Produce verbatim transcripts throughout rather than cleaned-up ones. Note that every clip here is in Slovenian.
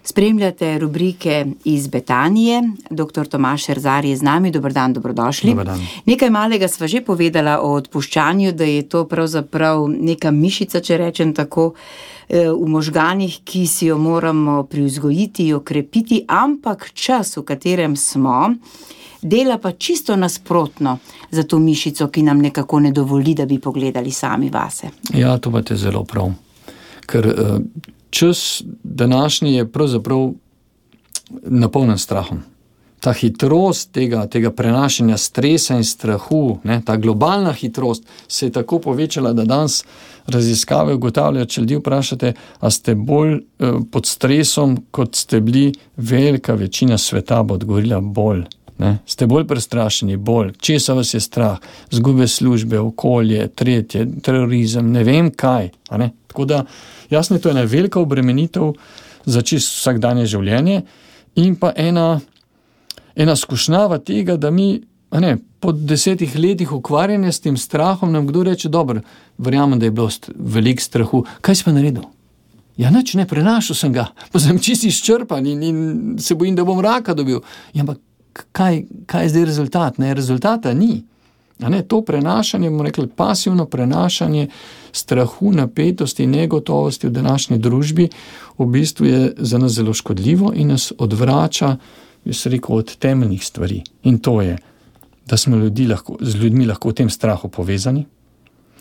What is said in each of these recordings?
Spremljate rubrike iz Betanije. Doktor Tomaž Erzar je z nami. Dober dan, dobrodošli. Dobar dan. Nekaj malega sva že povedala o odpuščanju, da je to pravzaprav neka mišica, če rečem tako, v možganih, ki si jo moramo privzgojiti, jo krepiti, ampak čas, v katerem smo, dela pa čisto nasprotno za to mišico, ki nam nekako ne dovoli, da bi pogledali sami vase. Ja, to pa te zelo prav. Ker čas današnji je pravzaprav napolnjen strahom. Ta hitrost tega, tega prenašanja stresa in strahu, ne, ta globalna hitrost se je tako povečala, da danes raziskave ugotavljajo, če ljudi vprašate, a ste bolj eh, pod stresom, kot ste bili, velika večina sveta bo odgovorila bolj. Ne? Ste bolj prestrašeni, bolj. Česa vas je strah? Zgube službe, okolje, tretje, terorizem, ne vem kaj. A ne? Tako da, jasno je to ena velika obremenitev za čisto vsakdanje življenje in pa ena, ena skušnjava tega, da mi a ne, po desetih letih ukvarjanja s tem strahom nam kdo reče, dobro, verjamem, da je bilo veliko strahu. Kaj si pa naredil? Ja, nič ne, prenašal sem ga, pa sem čisto izčrpan in, in se bojim, da bom raka dobil. Ja, ampak Kaj, kaj je zdaj rezultat? Ne, rezultata ni. A ne, to prenašanje, bomo rekli, pasivno prenašanje strahu, napetosti in negotovosti v današnji družbi v bistvu je za nas zelo škodljivo in nas odvrača, jaz rekel, od temeljnih stvari. In to je, da smo ljudi lahko, z ljudmi lahko v tem strahu povezani,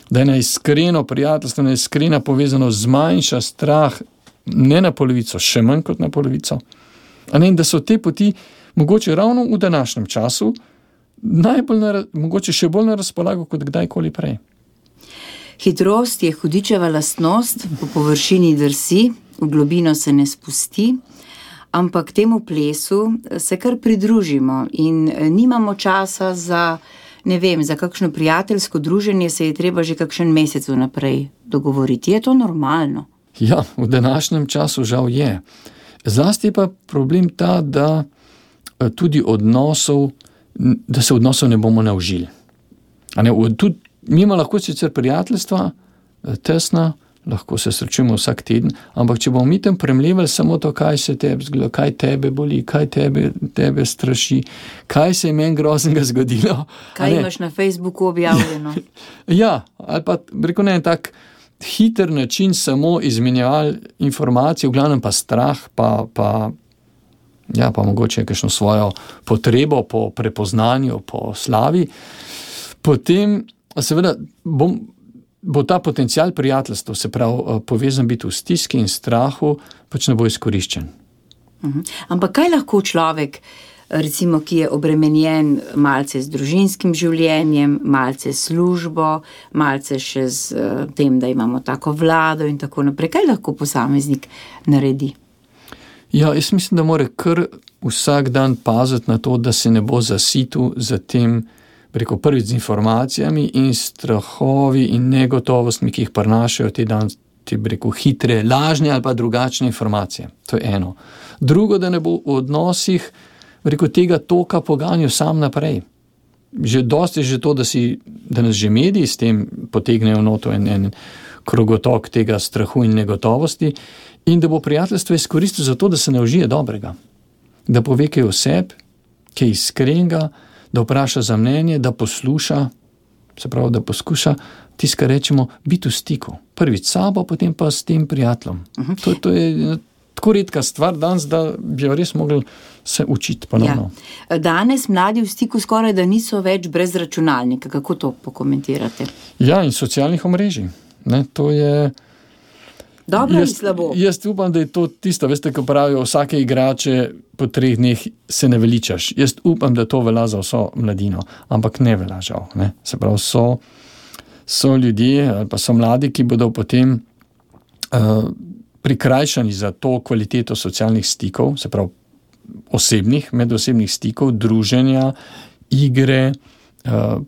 da je ena iskreno prijateljstvo, ena iskrena povezanost zmanjša strah ne na polovico, še manj kot na polovico. A ne, in da so te poti mogoče ravno v današnjem času najbolj, na, mogoče še bolj na razpolago kot kdajkoli prej. Hitrost je hudičeva lastnost, po površini drsi, v globino se ne spusti, ampak temu plesu se kar pridružimo in nimamo časa za, ne vem, za kakšno prijateljsko druženje se je treba že kakšen mesec vnaprej dogovoriti. Je to normalno? Ja, v današnjem času žal je. Zlasti pa problem ta, da tudi odnosov, da se odnosov ne bomo naužili. A ne, tudi, mi ima lahko sicer prijateljstva, tesna, lahko se srečujemo vsak teden, ampak če bomo mi tam premljevali samo to, kaj se tebe zgleda, kaj tebe boli, kaj tebe, tebe straši, kaj se je meni groznega zgodilo. Kaj imaš na Facebooku objavljeno? Ja, ali pa rekel ne, tak hiter način samo izmenjevali informacije, v glavnem pa strah, pa, pa ja, pa mogoče kakšno svojo potrebo po prepoznanju, po slavi, potem seveda bom, bo ta potencial prijateljstva, se pravi povezan biti v stiski in strahu, pač ne bo izkoriščen. Uh-huh. Ampak kaj lahko človek, recimo, ki je obremenjen malce z družinskim življenjem, malce s službo, malce še z uh, tem, da imamo tako vlado in tako naprej, kaj lahko posameznik naredi? Ja, jaz mislim, da mora kar vsak dan paziti na to, da se ne bo zasitil za tem, preko prvič z informacijami in strahovi in negotovostmi, ki jih prinašajo te dan, te preko hitre, lažne ali pa drugačne informacije. To je eno. Drugo, da ne bo v odnosih preko tega toka poganjal sam naprej. Že dosti je že to, da, si, da nas že mediji s tem potegnejo noto en, en krogotok tega strahu in negotovosti, in da bo prijateljstvo izkoristil za to, da se naužije dobrega. Da pove kaj o sebi, kaj iskrenega, da vpraša za mnenje, da posluša, se pravi, da poskuša tisto, kar rečemo, biti v stiku. Prvič sabo, potem pa s tem prijateljem. Uh-huh. To, to je tako redka stvar danes, da bi jo res mogli se učiti ponovno. Ja. Danes mladi v stiku skoraj da niso več brez računalnika. Kako to pokomentirate? Ja, in socialnih omrežij. Ne, to je dobro jaz, in slabo. Jaz upam, da je to tisto, veste, ko pravijo, vsake igrače po treh dneh se ne veličaš. Jaz upam, da to velja za vso mladino, ampak ne velja žal. Ne. Se pravi, so, so ljudje ali pa so mladi, ki bodo potem uh, prikrajšani za to kvaliteto socialnih stikov, se pravi osebnih, medosebnih stikov, druženja, igre, uh,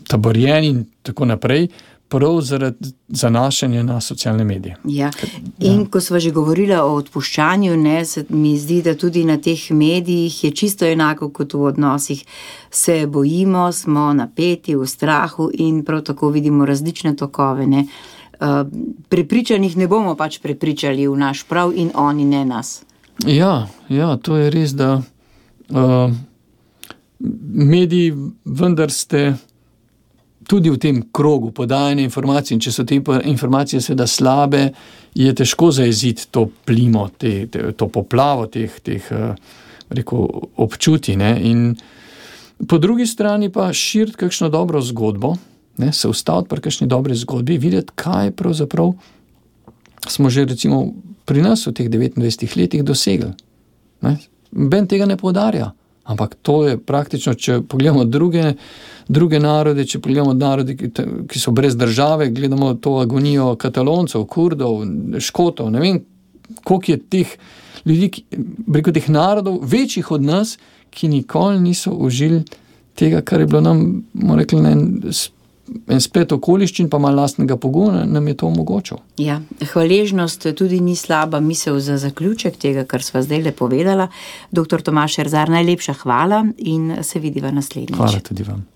taborjenja in tako naprej, prav zaradi zanašanja na socialne medije. Ja. In ja. Ko sva že govorila o odpuščanju, ne, se mi zdi, da tudi na teh medijih je čisto enako kot v odnosih. Se bojimo, smo napeti, v strahu in prav tako vidimo različne tokove. Ne. Uh, prepričanih ne bomo pač prepričali v naš prav in oni ne nas. Ja, ja, to je res, da uh, mediji vendar ste tudi v tem krogu podajanja informacij, in če so te informacije seveda slabe, je težko zajeziti to plimo, te, te, to poplavo teh, teh rekel, občutij. Ne? In po drugi strani pa širiti kakšno dobro zgodbo, ne? Se ustaviti pri kakšni dobri zgodbi, videti, kaj pravzaprav smo že recimo pri nas v teh devetindvajsetih letih dosegli. Ne? Ben tega ne poudarja. Ampak to je praktično, če pogledamo druge, druge narode, če pogledamo narode, ki, ki so brez države, gledamo to agonijo Kataloncev, Kurdov, Škotov, ne vem, koliko je teh ljudi, ki, preko teh narodov, večjih od nas, ki nikoli niso užili tega, kar je bilo nam, bomo rekli, en, en splet okoliščin, pa malo lastnega pogona, nam je to omogočil. Ja, hvaležnost tudi ni slaba misel za zaključek tega, kar sva zdaj le povedala. Doktor Tomaž Erzar, najlepša hvala in se vidiva naslednjič. Hvala tudi vam.